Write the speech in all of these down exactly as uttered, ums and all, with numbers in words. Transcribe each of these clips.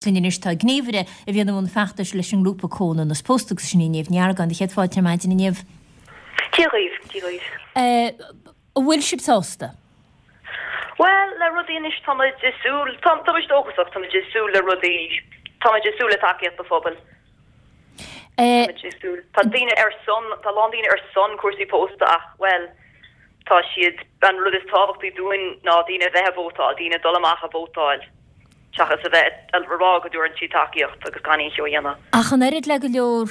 Linn anois tá gníomhaire a bhíonn i mbun feachtais leis an ngrúpa Comhionannas Pósta agus sin í Niamh Ní Argáin. Do chéad fáilte ar maidin a Niamh. Dia dhaoibh, Dia dhaoibh. An bhfuil sibh sásta? Bhuel, le rudaí anois tá muid ag súil, tá tá muid dóchasach, tá muid ag súil le rudaí, tá muid ag súil le tacaíocht an phobail. Tá muid ag súil, tá daoine ar son, tá a lán daoine ar son cúrsaí pósta ach, bhuel, tá siad, an rud is tábhachtaí dúinn ná daoine a bheith ag vótáil, daoine dul amach a vótáil. seachas a bheith ag rá go dtabharann siad tacaíocht agus gan aon cheo a dhéanamh. Ach an oiread le go leor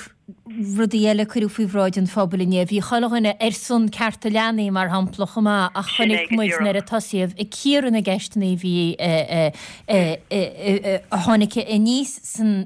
rudaí eile a cuireadh faoi bhráid an phobail inné, bhí chuile dhuine ar son cearta leanaí, mar shampla, chomh maith, ach chonaic muid nuair a tosaíodh ag cíoradh na gceisteanna a bhí a tháinig aníos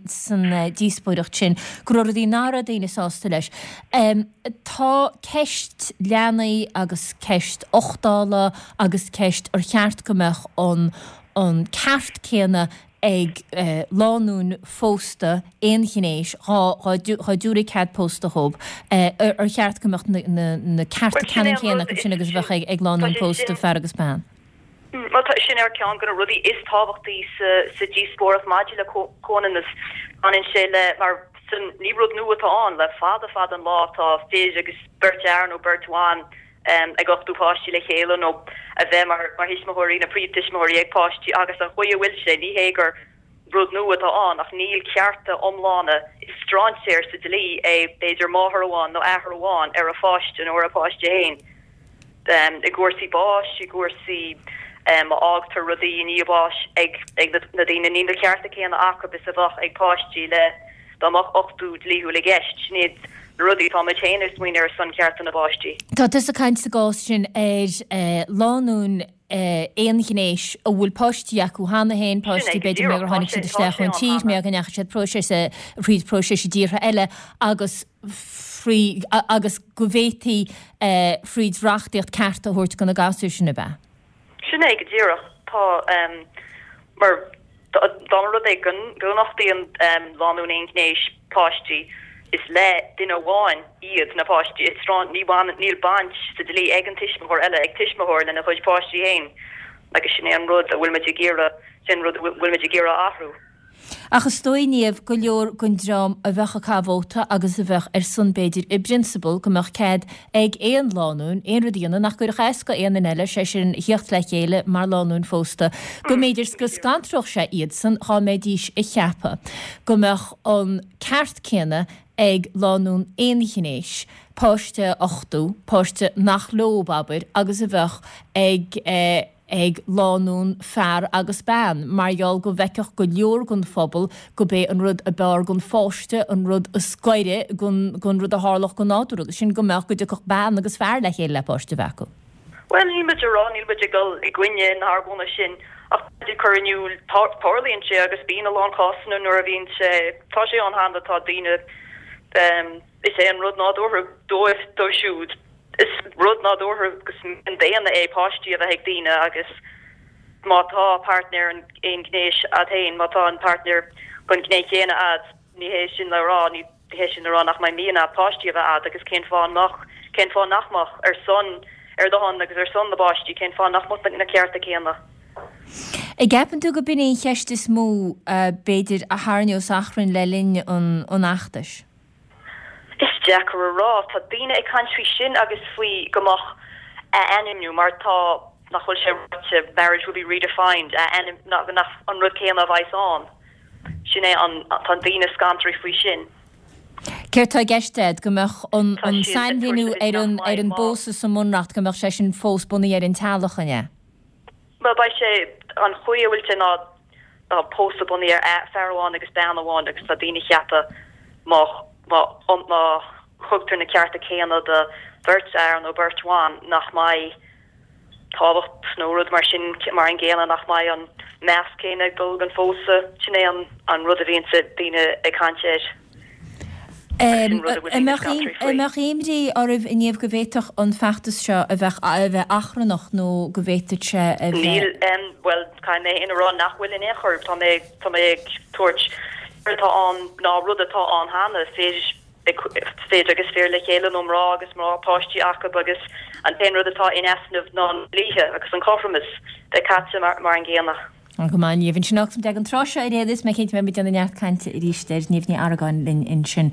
san díospóireacht sin, go raibh rudaí nach raibh daoine sásta leis. Tá ceist leanaí agus ceist uchtála agus ceist ar cheart go mbeadh an an ceart céanna ag lánúin phósta aonghnéis, dhá dtabharfaí cead pósta dhóibh, ar cheart go mbeadh na cearta ceannann céanna acu sin agus a bheadh ag lánúin phósta, fear agus bean? Bhuel, tá sin ar ceann de na rudaí is tábhachtaí sa díospóireacht maidir le comhionannas. Baineann sé le, mar ní rud nua atá ann, le fada fada an lá tá fir agus beirt fhear nó beirt bhan ag uchtú páistí le chéile nó a bheith mar thuismitheoirí nó príomhthuismitheoirí ag páistí agus an chaoi a bhfuil sé, ní hé gur rud nua atá ann ach níl cearta iomlána, is strainséir sa dlí é b'fhéidir máthair amháin nó athair amháin ar a pháiste nó ar a páiste féin. I gcúrsaí báis, i gcúrsaí má fhágtar rudaí i ndiaidh báis ag na daoine, níl na cearta céanna acu is a bheadh ag páistí le dá mbeadh uchtú dlíthiúil i gceist. Sin iad na rudaí atá muid féin ag smaoineamh ar son cearta na bpáistí. Tá tusa ag caint sa gcás sin ar lánúin aonghnéis a bhfuil páistí acu cheana féin, páistí b'fhéidir mar gur tháinig siad isteach ón tír, mar go ndeachaigh siad próiseas thríd próiseas i dtíortha eile agus frí agus go bhféadfaí fríd reachtaíocht cearta a thabhairt do na gasúir sin, ab ea? Sin é go díreach. Tá, mar dá mba rud é go n-uchtaíonn lánúin aonghnéis páistí, is le duine amháin iad na páistí. Is tráth, ní bhaineann, níl baint sa dlí ag an tuismitheoir eile, ag tuismitheoir lena chuid páistí féin agus sin é an rud a bhfuil muid ag iarraidh, sin an rud a bhfuil muid ag iarraidh a athrú. Ach is dóigh, Niamh, go leor den dream a bheadh ag caitheamh vóta agus a bheadh ar son, b'fhéidir, i bprionsabal, go mbeadh cead ag aon lánúin aon rud a dhéanamh nach gcuirfeadh as go aon duine eile, sé sin, theacht le chéile mar lánúin phósta, go mb'fhéidir go scantródh sé iadsan dhá mbeidís ag ceapadh go mbeadh an ceart céanna ag lánúin aonghnéis páiste a uchtú, páiste nach leob, abair, agus a bheadh ag ag lánúin fear agus bean, mar gheall go bhfeicfeadh go leor den phobal go b'é an rud a b'fhearr don pháiste, an rud is gaire don don rud a tharlódh go nádúrtha, agus sin go mbeadh, go dtiocfadh bean agus fear le chéile le páiste a bheith acu. Bhuel, níl muid ag rá, níl muid ag dul i gcoinne na hargóna sin, ach tá muid ag cur in iúl, tarlaíonn sé agus bíonn a lán cásanna nuair a bhíonn sé, tá sé ann cheana, tá daoine, is é an rud nádúrtha dóibh, dóibh siúd, is rud nádúrtha agus daonna é páistí a bheith ag daoine agus má tá páirtnéir aonghnéis a'd féin, má tá an páirtnéir den ghné chéanna a'd, ní hé sin le rá, ní hé sin le rá nach mbeidh mian a'd páistí a bheith a'd agus cén fáth nach, cén fáth nach mbeadh ar son, ar do shon agus ar son na bpáistí, cén fáth nach mbeadh na cearta céanna? An gceapann tú go b'in í an cheist is mó, b'fhéidir, a tharraingeos achrann le linn an fheachtais? Is deacair a rá. Tá daoine ag caint faoi sin agus faoi go mbeadh ath-ainmniú mar tá, nach bhfuil sé ráite, marriage will be redefined, ath-ainm, nach an rud céanna a bheas ann. Sin é an, tá daoine scantraithe faoi sin. Céard tá i gceist agat? Go mbeadh an an sainmhíniú ar an ar an bpósadh sa mBunreacht, go mbeadh sé sin fós bunaithe ar an teaghlach, an ea? Bhuel, beidh sé, an chaoi a bhfuil sé ná tá pósadh bunaithe ar fear amháin agus bean amháin agus tá daoine ag ceapadh má má má thugtar na cearta céanna do bheirt fhear nó beirt bhan nach mbeidh tábhacht nó rud mar sin mar an gcéanna, nach mbeidh an meas céanna ag dul don phósadh. Sin é an an rud a bhíonn daoine ag caint air. An mbeadh imní oraibh a Niamh go bhféadfadh an feachtas seo a bheith a bheith achrannach nó go bhféadfadh sé a bheith. Níl, bhuel, caithfidh mé féin a rá nach bhfuil in aon chor. Tá mé, tá mé ag tabhairt rud atá ann ná rud atá ann cheana, fir, fir agus fir le chéile nó mná agus mná, páistí acu agus an t-aon rud atá in easnamh ná na dlíthe agus an cothromas bheith caite mar, mar an gcéanna. Go maith Niamh ansin agus ag an tráth seo ar aon nós mé cinnte mbeidh muid ag déanamh neart cainte arís ar Niamh Ní Argáin linn ansin.